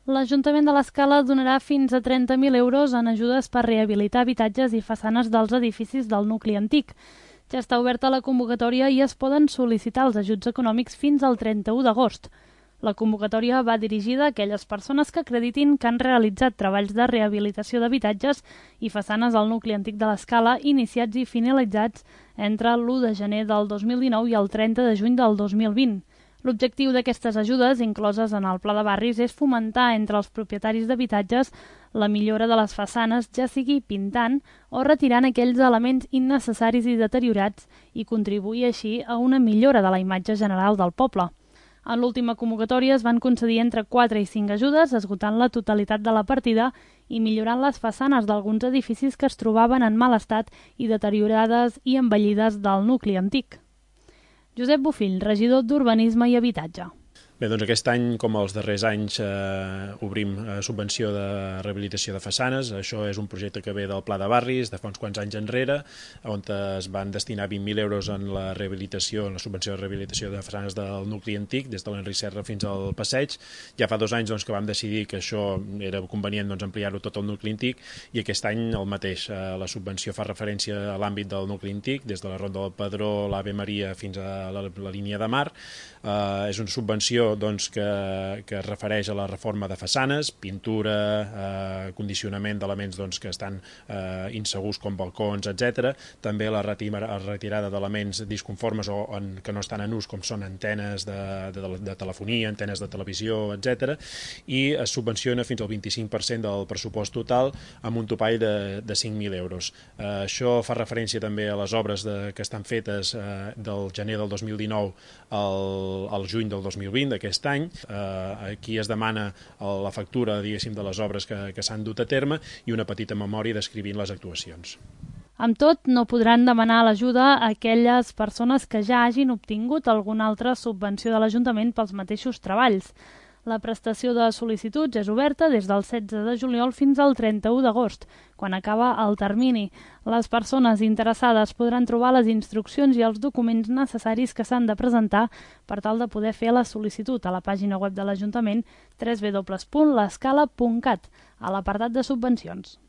L'Ajuntament de l'Escala donarà fins a 30.000 euros en ajudes per rehabilitar habitatges i façanes dels edificis del nucli antic. Ja està oberta la convocatòria i es poden sol·licitar els ajuts econòmics fins al 31 d'agost. La convocatòria va dirigida a aquelles persones que acreditin que han realitzat treballs de rehabilitació d'habitatges i façanes al nucli antic de l'Escala iniciats i finalitzats entre l'1 de gener del 2019 i el 30 de juny del 2020. L'objectiu d'aquestes ajudes, incloses en el Pla de Barris, és fomentar entre els propietaris d'habitatges la millora de les façanes, ja sigui pintant o retirant aquells elements innecessaris i deteriorats i contribuir així a una millora de la imatge general del poble. En l'última convocatòria es van concedir entre 4 i 5 ajudes, esgotant la totalitat de la partida i millorant les façanes d'alguns edificis que es trobaven en mal estat i deteriorades i envellides del nucli antic. Josep Bofill, regidor d'Urbanisme i Habitatge. Bé, doncs aquest any, com els darrers anys, obrim subvenció de rehabilitació de façanes. Això és un projecte que ve del Pla de Barris de fa uns quants anys enrere, on es van destinar 20.000 euros en la rehabilitació, en la subvenció de rehabilitació de façanes del nucli antic, des de l'Enric Serra fins al Passeig. Ja fa 2 anys que vam decidir que això era convenient ampliar-ho tot al nucli antic, i aquest any el mateix. La subvenció fa referència a l'àmbit del nucli antic, des de la Ronda del Pedró, l'Ave Maria fins a la línia de mar. És una subvenció que es refereix a la reforma de façanes, pintura, condicionament d'elements que estan insegurs com balcons, etc. També la retirada d'elements disconformes o que no estan en ús, com són antenes de telefonia, antenes de televisió, etc. I es subvenciona fins al 25% del pressupost total amb un topall de 5.000 euros. Això fa referència també a les obres que estan fetes del gener del 2019 al juny del 2020, d'aquest any. Aquí es demana la factura, diguéssim, de les obres que s'han dut a terme i una petita memòria descrivint les actuacions. Amb tot, no podran demanar l'ajuda a aquelles persones que ja hagin obtingut alguna altra subvenció de l'Ajuntament pels mateixos treballs. La prestació de sol·licituds és oberta des del 16 de juliol fins al 31 d'agost, quan acaba el termini. Les persones interessades podran trobar les instruccions i els documents necessaris que s'han de presentar per tal de poder fer la sol·licitud a la pàgina web de l'Ajuntament www.lescala.cat, a l'apartat de subvencions.